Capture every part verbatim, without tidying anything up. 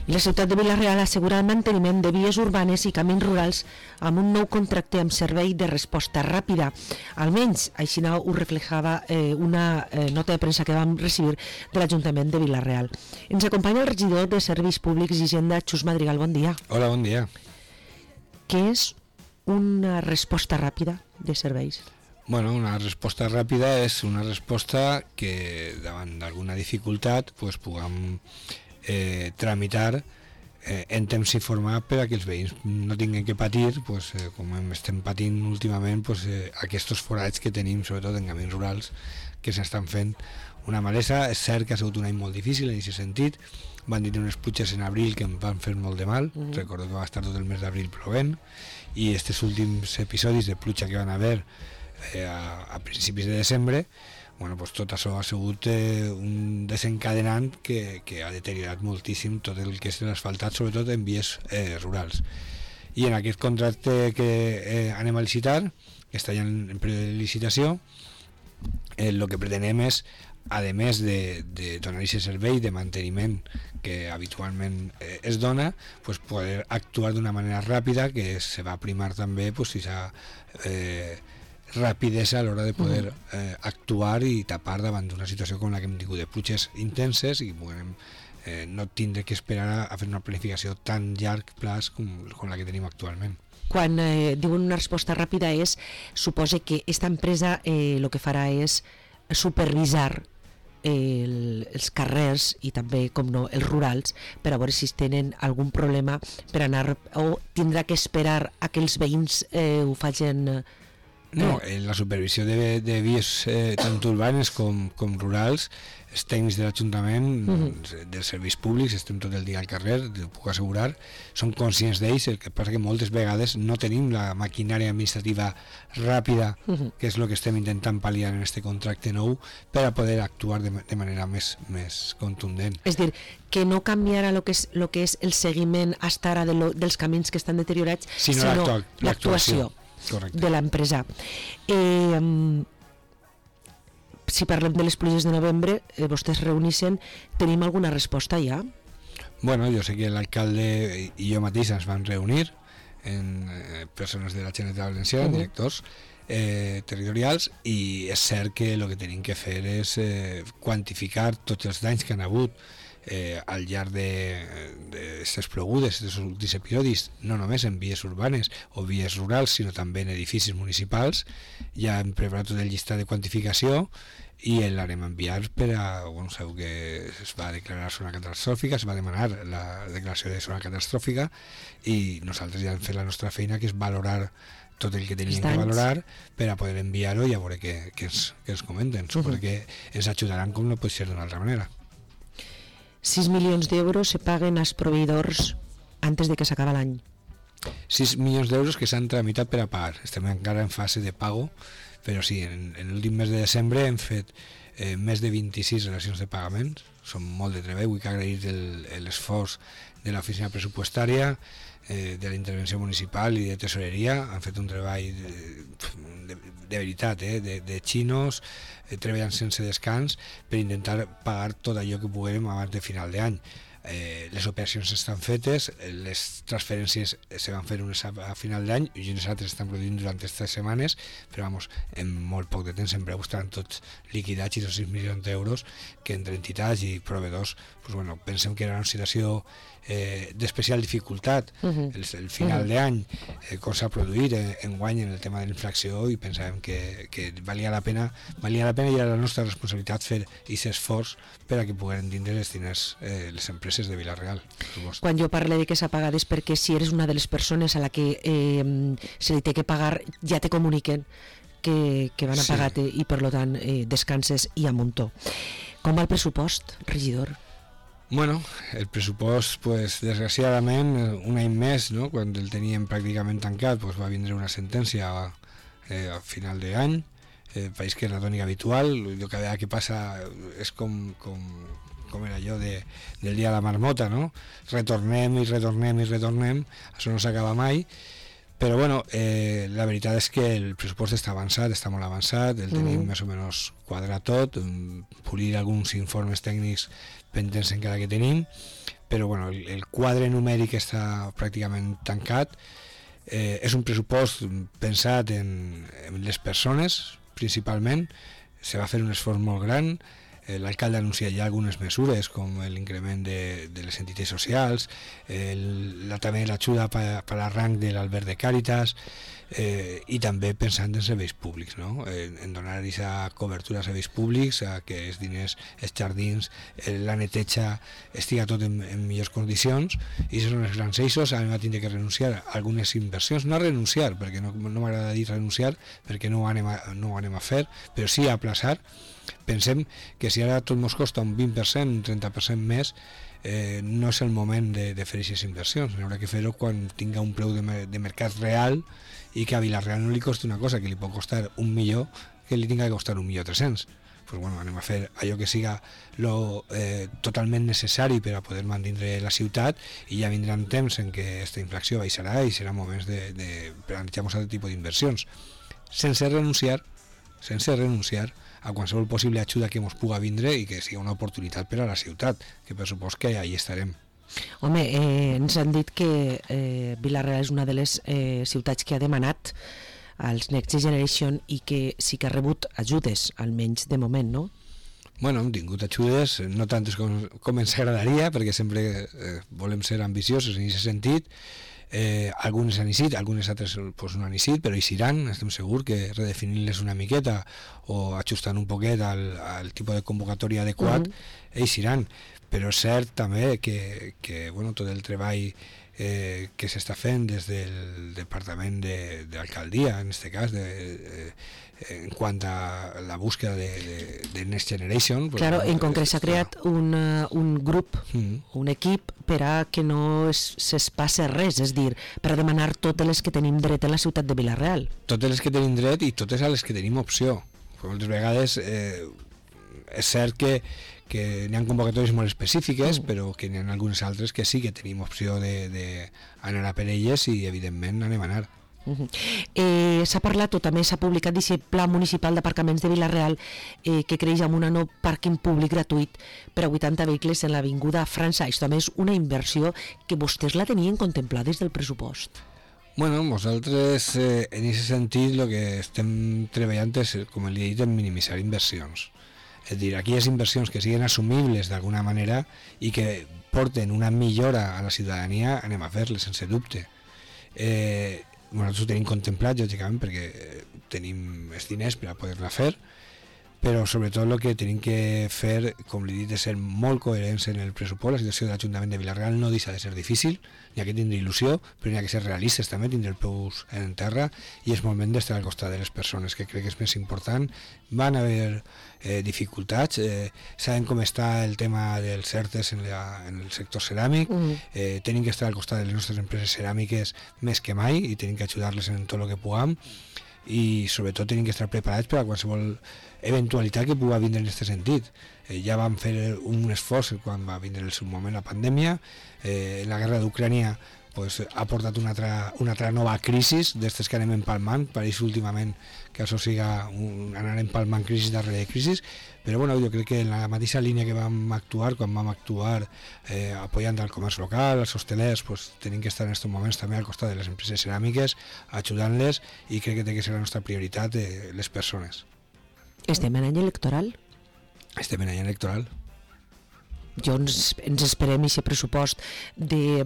I la ciutat de Vila-real assegura el manteniment de vies urbanes i camins rurals amb un nou contracte amb servei de resposta ràpida. Almenys, així ho reflejava eh, una eh, nota de premsa que vam recibir de l'Ajuntament de Vila-real. Ens acompanya el regidor de Serveis Públics i Hisenda, Xus Madrigal. Bon dia. Hola, bon dia. Què és una resposta ràpida de serveis? Bueno, una resposta ràpida és una resposta que davant d'alguna dificultat pues, puguem eh, tramitar eh, en temps informat per a que els veïns no tinguin que patir, pues, eh, com estem patint últimament, pues, eh, aquests forats que tenim, sobretot en camins rurals, que s'estan fent una malesa. És cert que ha sigut un any molt difícil en aquest sentit. Van dir unes pluges en abril que em van fer molt de mal. Mm-hmm. Recordo que va estar tot el mes d'abril plovent, i aquests últims episodis de pluja que van haver eh, a, a principis de desembre, bueno, pues tot això ha sigut eh, un desencadenant que, que ha deteriorat moltíssim tot el que és l'asfaltat, sobretot en vies eh, rurals. I en aquest contracte que eh, anem a licitar, que està ja en, en període de licitació, el eh, que pretenem és, a més de, de donar aquest servei de manteniment que habitualment eh, es dona, pues poder actuar d'una manera ràpida, que se va primar també pues, esa, eh, rapidesa a l'hora de poder eh, actuar i tapar davant d'una situació com la que hem tingut de pluges intenses i podem eh, no tindre que esperar a, a fer una planificació tan llarg plaç com, com la que tenim actualment. Quan eh, diuen una resposta ràpida és, suposa que aquesta empresa eh, el que farà és supervisar el, els carrers i també, com no, els rurals, per a veure si tenen algun problema per anar, o tindrà que esperar a que els veïns eh, ho facin. Eh, No, en la supervisió de, de vies eh, tant urbanes com, com rurals, els tècnics de l'Ajuntament, uh-huh. dels serveis públics, estem tot el dia al carrer, ho puc assegurar, són conscients d'ells. El que passa que moltes vegades no tenim la maquinària administrativa ràpida, uh-huh. que és el que estem intentant pal·liar en aquest contracte nou, per a poder actuar de, de manera més, més contundent. És dir, que no canviarà el que és, lo que és el seguiment hasta ara de lo, dels camins que estan deteriorats, sinó, sinó l'actuació. l'actuació. Correcte. De l'empresa. Eh, si parlem de les pluges de novembre, eh, vostès reunissin, tenim alguna resposta ja? Bueno, jo sé que l'alcalde i jo mateix ens vam reunir en eh, persones de la Generalitat Valenciana, uh-huh. directors eh, territorials, i és cert que el que tenim que fer és eh, quantificar tots els danys que han hagut Eh, al llarg d'aquestes plogudes, d'aquests últims episodis, no només en vies urbanes o vies rurals, sinó també en edificis municipals. Ja hem preparat tot el llistat de quantificació i l'harem a enviar per a, bueno, sabeu que es va declarar zona catastròfica, es va demanar la declaració de zona catastròfica, i nosaltres ja hem fet la nostra feina, que és valorar tot el que teníem que valorar per a poder enviar-ho i a veure què, què, ens, què ens comenten. Suposo uh-huh. que ens ajudaran com no pot ser d'una altra manera. sis milions d'euros se paguen als proveïdors antes de que s'acaba l'any. sis milions d'euros que s'han tramitat per a pagar. Estem encara en fase de pago, però sí, en, en l'últim mes de desembre hem fet eh, més de vint-i-sis relacions de pagaments. Són molt de treball, vull agrair l'esforç de l'oficina pressupostària, eh, de la intervenció municipal i de tesoreria. Han fet un treball de, de, de veritat, eh, de, de xinos, eh, treballant sense descans per intentar pagar tot allò que puguem abans de final d'any. Eh, les operacions estan fetes, les transferències se van fer unes a, a final d'any i unes altres estan produint durant aquestes setmanes, però vamos, en molt poc de temps sempre estaran tots liquidats, i els sis milions d'euros que entre entitats i proveïdors, pues bueno, pensem que era una situació eh, d'especial dificultat. Uh-huh. el, el final uh-huh. d'any, eh, com s'ha produït en, en guany en el tema de la inflació, i pensàvem que, que valia la pena valia la pena i era la nostra responsabilitat fer aquest esforç per a que pogueren tindre els diners eh, les empreses de Vila-real. Quan jo parlo de que s'ha pagat és perquè si eres una de les persones a la que eh, se li té que pagar, ja te comuniquen que, que van a sí. pagar-te, i per tant eh, descanses i a muntó. Com va el pressupost, regidor? Bueno, el pressupost, pues, desgraciadament, un any més, no? Quan el teníem pràcticament tancat, pues, va vindre una sentència eh, a final d'any, eh, país que és la tònica habitual. El que, que passa és com, com, com era allò de, del dia de la marmota, no? Retornem i retornem i retornem, això no s'acaba mai, Però bueno, eh, la veritat és que el pressupost està avançat, està molt avançat, el tenim mm. més o menys quadrat tot, polir alguns informes tècnics pendents encara que tenim, però bueno, el, el quadre numèric està pràcticament tancat. Eh, és un pressupost pensat en, en les persones, principalment. Se va fer un esforç molt gran. L'alcalde ha anunciat ja algunes mesures com l'increment de, de les entitats socials, el, la, també l'ajuda per, per a rang de l'Albert de Càritas, eh, i també pensant en serveis públics, no? en, en donar aquesta cobertura a serveis públics, a que els diners, els jardins, la neteja estiga tot en, en millors condicions, i són els grans eixos. A mi va tindre que renunciar a algunes inversions, no a renunciar, perquè no, no m'agrada dir renunciar, perquè no ho anem a, no ho anem a fer, però sí a aplaçar. Pensem que si ara tot ens costa un vint per cent, un trenta per cent més, eh, no és el moment de, de fer aquestes inversions. Haurà que fer-ho quan tinga un preu de, de mercat real i que a Vila-real no li costi una cosa que li pot costar un milió que li tinga que costar un milió tres-cents. Pues bueno, anem a fer allò que siga lo, eh, totalment necessari per a poder mantenir la ciutat, i ja vindran temps en què aquesta inflació baixarà i serà moments de, de plantejar un altre tipus d'inversions, sense renunciar, sense renunciar a qualsevol possible ajuda que ens puga vindre i que sigui una oportunitat per a la ciutat, que per supost que ahí estarem. Home, eh, ens han dit que eh, Vila-real és una de les eh, ciutats que ha demanat als Next Generation i que sí que ha rebut ajudes, almenys de moment, no? Bueno, hem tingut ajudes, no tantes com, com ens agradaria, perquè sempre eh, volem ser ambiciosos en aquest sentit. Eh, algunes han eixit, algunes altres pues, no han eixit, però eixiran, estem segurs que redefinint-les una miqueta o ajustant un poquet al, al tipus de convocatòria adequat, uh-huh. eixiran. Però és cert també que, que bueno, tot el treball eh, que s'està fent des del departament de, de l'alcaldia, en aquest cas, de, de, en quant a la búsqueda de, de, de Next Generation. Claro, en concret s'ha creat un, un grup, mm. un equip per a que no es, es passe res, és dir, per a demanar totes les que tenim dret a la ciutat de Vila-real. Totes les que tenim dret i totes a les que tenim opció. Moltes vegades eh, és cert que, que n'hi ha convocatòries molt específiques, mm. però que n'hi ha algunes altres que sí que tenim opció d'anar a per elles i evidentment anem a anar. Uh-huh. Eh, s'ha parlat o també s'ha publicat aquest pla municipal d'aparcaments de Vila-real eh, que creix amb un nou pàrquing públic gratuït per a vuitanta vehicles en l'avinguda França. Això també és una inversió que vostès la tenien contemplada des del pressupost. Bueno, nosaltres eh, en aquest sentit el que estem treballant és, com li he dit, en minimitzar inversions. És dir, aquelles inversions que siguin assumibles d'alguna manera i que porten una millora a la ciutadania, anem a fer-les sense dubte. Eh, nosaltres ho tenim contemplat, lògicament, perquè tenim els diners per a poder-la fer, però sobretot el que tenim que fer, com li he dit, és ser molt coherents en el pressupost. La situació de l'Ajuntament de Vila-real no deixa de ser difícil, n'hi ha que tindre il·lusió, però n'hi ha que ser realistes també, tindre el peus en terra, i és moment d'estar al costat de les persones, que crec que és més important. Van haver eh, dificultats, eh, sabem com està el tema dels certes en, la, en el sector ceràmic, mm. eh, tenim que estar al costat de les nostres empreses ceràmiques més que mai i tenim que ajudar-les en tot el que puguem, i sobretot tenim que estar preparats per a qualsevol eventualitat que pugui vindre en aquest sentit. Eh, ja vam fer un esforç quan va vindre en el seu moment la pandèmia, eh, la guerra d'Ucrània pues, ha portat una altra, una altra nova crisi d'estes que anem empalmant, pareix últimament que això siga un, anar empalmant crisi darrere de crisi, però bueno, jo crec que en la mateixa línia que vam actuar, quan vam actuar eh, apoyant al comerç local, als hostelers, pues, tenim que estar en aquests moments també al costat de les empreses ceràmiques, ajudant-les, i crec que té que ser la nostra prioritat eh, les persones. Estem en any electoral? Estem en any electoral. Jo ens, ens esperem aquest pressupost de,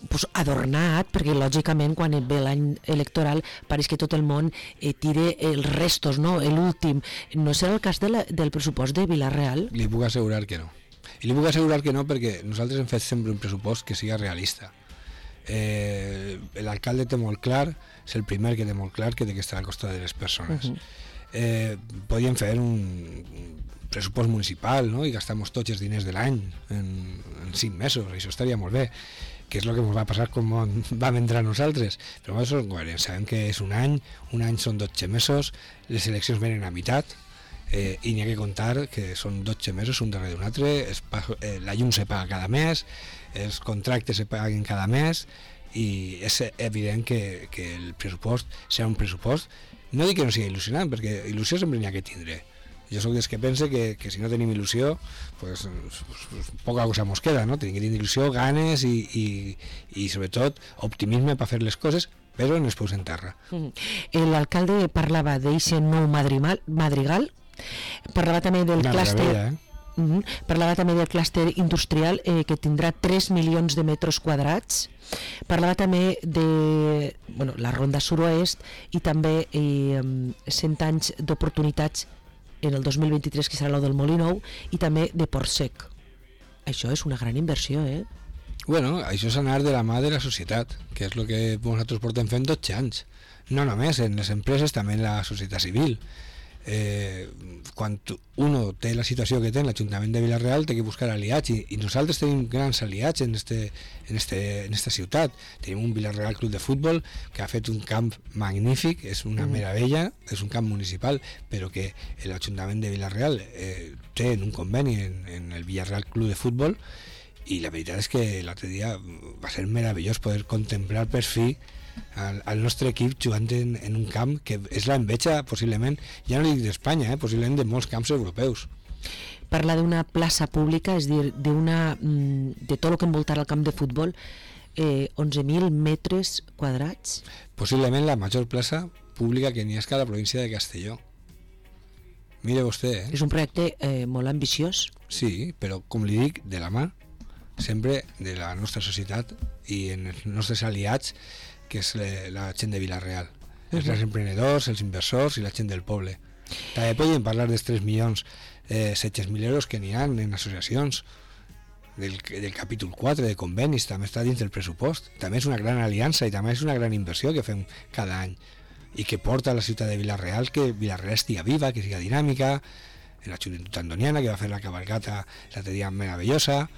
pues, adornat, perquè lògicament quan ve l'any electoral pareix que tot el món eh, tire els restos, no? L'últim. No serà el cas de la, del pressupost de Vila-real? Li puc assegurar que no. I li puc assegurar que no perquè nosaltres hem fet sempre un pressupost que siga realista. Eh, l'alcalde té molt clar, és el primer que té molt clar que té que estar al costat de les persones. Uh-huh. eh, podíem fer un pressupost municipal, no? I gastar-nos tots els diners de l'any en, en cinc mesos, això estaria molt bé, que és el que ens va passar com vam entrar nosaltres, però nosaltres som coherents, sabem que és un any, un any són dotze mesos, les eleccions venen a meitat, eh, i n'hi ha que comptar que són dotze mesos un darrere d'un altre, es, eh, la llum se paga cada mes, els contractes se paguen cada mes, i és evident que, que el pressupost serà un pressupost, no dic que no sigui il·lusionant, perquè il·lusió sempre n'hi ha que tindre. Jo sóc dels que pense que, que si no tenim il·lusió, pues, pues, pues poca cosa mos queda, no? Tenim que tenir il·lusió, ganes i, i, i sobretot optimisme per fer les coses, però no es peus en terra. Mm. L'alcalde parlava d'eixe nou madrigal, madrigal, parlava també del Una clúster, meravella, eh? Mm-hmm. Parlava també del clúster industrial eh, que tindrà tres milions de metres quadrats. Parlava també de bueno, la ronda sud-oest i també eh, cent anys d'oportunitats en el dos mil vint-i-tres, que serà el del Molí Nou, i també de Portsec. Això és una gran inversió, eh? Bueno, això és anar de la mà de la societat, que és el que nosaltres portem fent dotze anys. No només en les empreses, també en la societat civil. Eh, quan uno té la situació que té en l'Ajuntament de Vila-real, té que buscar aliats, i, i nosaltres tenim grans aliats en, este, en, este, en esta ciutat. Tenim un Vila-real Club de Futbol que ha fet un camp magnífic, és una mm. meravella, és un camp municipal, però que l'Ajuntament de Vila-real eh, té en un conveni en, en el Vila-real Club de Futbol, i la veritat és que l'altre dia va ser meravellós poder contemplar per fi al, al nostre equip jugant en, en un camp que és l'enveja possiblement, ja no dic d'Espanya, eh, possiblement de molts camps europeus. Parla d'una plaça pública, és dir, d'una, de tot el que envoltarà el camp de futbol, eh, onze mil metres quadrats. Possiblement la major plaça pública que n'hi ha a la província de Castelló. Mire vostè, eh? És un projecte eh, molt ambiciós. Sí, però com li dic, de la mà sempre de la nostra societat i en els nostres aliats, que és la gent de Vila-real, els uh -huh. emprenedors, els inversors i la gent del poble. També podem parlar dels tres milions eh, set-cents mil euros que n'hi ha en associacions, del, del capítol quatre de convenis, també està dins del pressupost. També és una gran aliança i també és una gran inversió que fem cada any i que porta a la ciutat de Vila-real que Vila-real estigui viva, que siga dinàmica, en la joventut andoniana, que va fer la cabalgata l'altre dia meravellosa,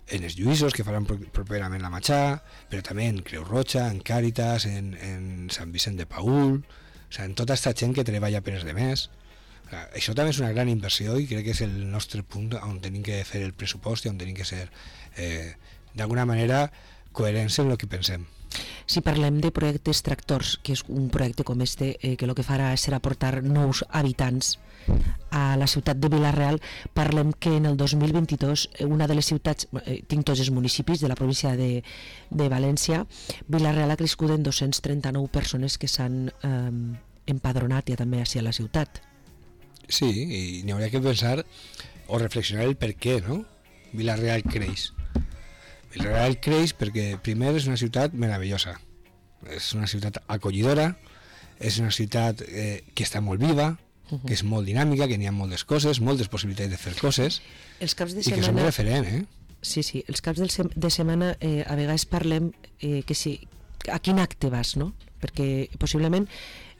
en els Lluïsos, que faran properament la Matxà, però també en Creu Roja, en Càritas, en, en Sant Vicent de Paül, o sigui, en tota aquesta gent que treballa per els demés. O sigui, això també és una gran inversió i crec que és el nostre punt on tenim que fer el pressupost i on tenim que ser, eh, d'alguna manera, coherents en el que pensem. Si parlem de projectes tractors, que és un projecte com este, eh, que el que farà serà portar nous habitants a la ciutat de Vila-real, parlem que en el dos mil vint-i-dos una de les ciutats, eh, tinc tots els municipis de la província de, de València, Vila-real ha crescut en dos-cents trenta-nou persones que s'han eh, empadronat ja també així a la ciutat. Sí, i n'hi hauria que pensar o reflexionar el per què, no? Vila-real creix. Vila-real creix perquè primer és una ciutat meravellosa, és una ciutat acollidora, és una ciutat eh, que està molt viva, uh-huh. que és molt dinàmica, que n'hi ha moltes coses, moltes possibilitats de fer coses, els caps de i setmana... que som referent, eh? Sí, sí, els caps de setmana eh, a vegades parlem eh, que si, a quin acte vas, no? Perquè possiblement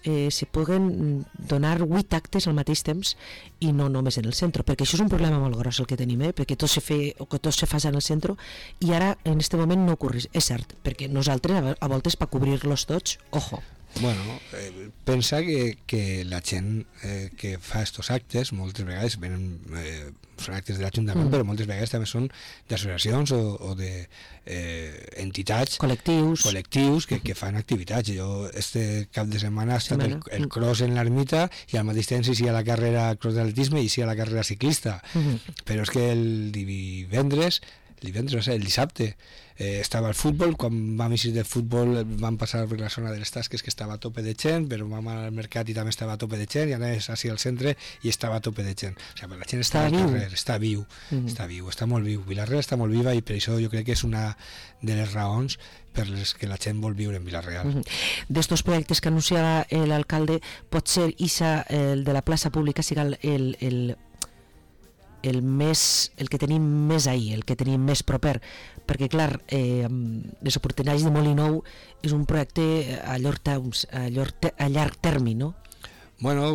eh, se puguen donar vuit actes al mateix temps i no només en el centre, perquè això és un problema molt gros el que tenim, eh? Perquè tot se fe, o que tot se fa en el centre, i ara en aquest moment no ocorre, és cert, perquè nosaltres a, a voltes per cobrir-los tots, ojo. Bueno, eh, pensa que, que la gent eh, que fa estos actes moltes vegades venen, eh, són actes de l'Ajuntament, mm. però moltes vegades també són d'associacions o, o de eh, entitats, col·lectius, col·lectius que, que fan activitats. Jo este cap de setmana ha estat el, el cross en l'ermita i al mateix temps hi ha la carrera cross d'atletisme i hi ha la carrera ciclista, mm. però és que el divendres el divendres, no sé, el dissabte eh, estava al futbol, quan vam eixir del futbol vam passar per la zona de les tasques que estava a tope de gent, però vam anar al mercat i també estava a tope de gent, i anaves així al centre i estava a tope de gent. O sigui, la gent està, està al carrer, està viu, mm-hmm. està viu, està molt viu. Vila-real està molt viva i per això jo crec que és una de les raons per les que la gent vol viure en Vila-real. Mm-hmm. D'estos projectes que anunciava l'alcalde, pot ser Isa, el de la plaça pública, siga el, el, el el més, el que tenim més ahir, el que tenim més proper, perquè clar, eh, les oportunitats de Molí Nou és un projecte a llarg, temps, a llarg, a llarg termini, no? Bueno,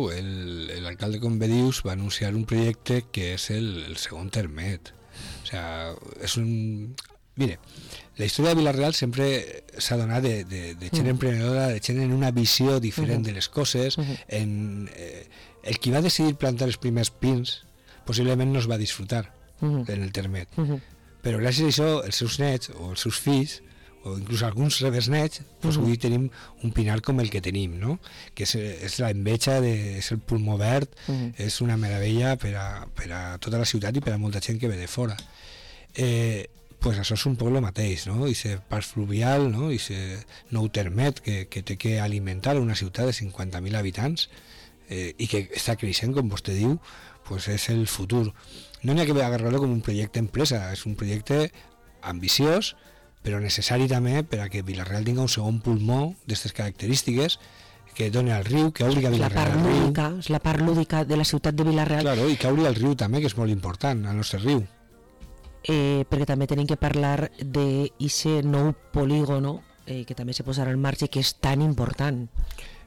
l'alcalde, com bé dius, va anunciar un projecte que és el, el segon termet. O sea, és un... Mire, la història de Vila-real sempre s'ha donat de, de, de gent mm. emprenedora, de gent en una visió diferent mm-hmm. de les coses, mm-hmm. en, eh, el qui va decidir plantar els primers pins possiblement no es va disfrutar uh-huh. en el termet. Uh-huh. Però gràcies a això els seus nets o els seus fills o inclús alguns rebesnets, doncs Uh-huh. avui tenim un pinar com el que tenim, no? Que és, és la enveja, de, és el pulmó verd, Uh-huh. és una meravella per a, per a tota la ciutat i per a molta gent que ve de fora. Eh, pues això és un poc el mateix, no? I ser pas fluvial, no? I ser nou termet que, que té que alimentar una ciutat de cinquanta mil habitants eh, i que està creixent, com vostè diu, pues és el futur. No n'hi ha que agarrar-lo com un projecte empresa, és un projecte ambiciós, però necessari també per a que Vila-real tingui un segon pulmó d'aquestes característiques que doni al riu, que obri a La Vila-real part al riu. lúdica, és la part lúdica de la ciutat de Vila-real, Claro, i que obri al riu també, que és molt important, al nostre riu. eh, perquè també tenim que parlar d'aquest nou polígono eh, que també se posarà en marxa i que és tan important.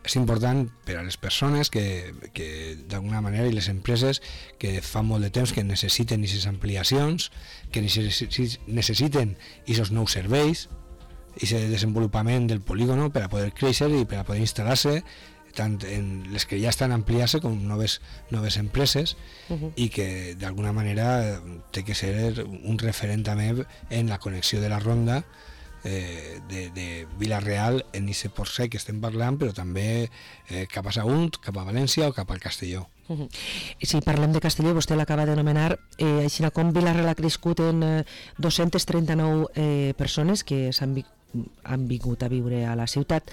És important per a les persones que, que d'alguna manera, i les empreses que fa molt de temps que necessiten aquestes ampliacions, que necessi- necessiten aquests nous serveis, aquest desenvolupament del polígono per a poder créixer i per a poder instal·lar-se tant en les que ja estan ampliant-se com noves, noves empreses Uh-huh. i que d'alguna manera té que ser un referent també en la connexió de la ronda eh, de, de Vila-real en aquest port sec que estem parlant, però també eh, cap a Sagunt, cap a València o cap al Castelló. Uh-huh. Si parlem de Castelló, vostè l'acaba d'anomenar, eh, així com Vila-real ha crescut en eh, dos-centes trenta-nou eh, persones que s'han vi han vingut a viure a la ciutat,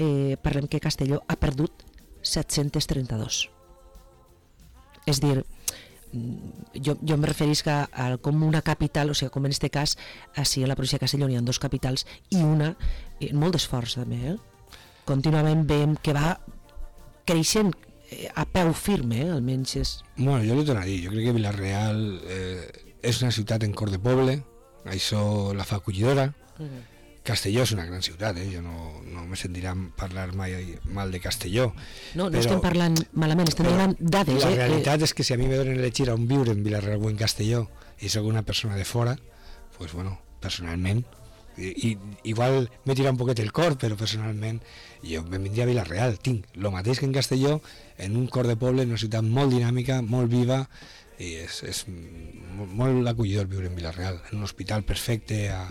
eh, parlem que Castelló ha perdut set-centes trenta-dos. És dir, jo, jo em referisc a, a com una capital, o sigui, com en este cas, així a la província de Castelló n'hi ha dos capitals i una, eh, molt d'esforç també, eh? Contínuament veiem que va creixent eh, a peu firme, eh? Almenys és... Bueno, jo li torno a dir, jo crec que Vila-real eh, és una ciutat en cor de poble, això la fa acollidora. Uh-huh. Castelló és una gran ciutat, eh? Jo no, no me sentirà parlar mai mal de Castelló. No, no però, estem parlant malament, estem donant dades. La eh? realitat és que si a mi me donen elegir on viure en Vila-real o en Castelló i soc una persona de fora, pues bueno, personalment, i, i, igual me tira un poquet el cor, però personalment jo me vindria a Vila-real, tinc el mateix que en Castelló, en un cor de poble, en una ciutat molt dinàmica, molt viva, i és, és molt, molt acollidor viure en Vila-real, en un hospital perfecte a,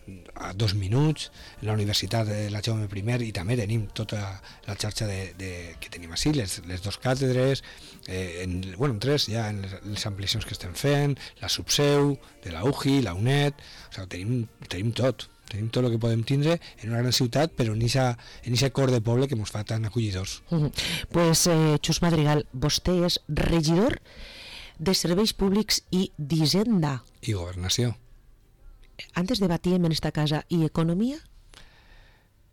Uh-huh. a dos minuts, en la Universitat de la Jaume I, i també tenim tota la xarxa de, de, que tenim així, les, les dos càtedres, eh, en, bueno, en tres ja, en les, les ampliacions que estem fent, la subseu de la U J I, la U N E D, o sigui, tenim, tenim tot, tenim tot el que podem tindre en una gran ciutat, però en aquest cor de poble que ens fa tan acollidors. Uh-huh. Pues, eh, Xus Madrigal, vostè és regidor de Serveis Públics i d'Hisenda. I governació. Antes debatíem en esta casa, i economia?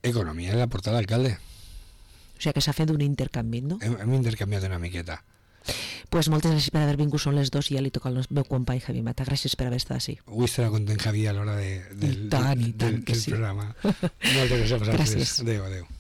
Economia és la portada d'alcalde. O sigui que s'ha fet un intercanvi, no? Hem, hem intercanviat una miqueta. Pues moltes gràcies per haver vingut, són les dos i ja li toca al meu company Javi Mata. Gràcies per haver estat així. Avui estarà content Javi a l'hora de, del, I tant, i tant del, que del sí. programa. Moltes gràcies a vosaltres. Gràcies. Adéu, adéu.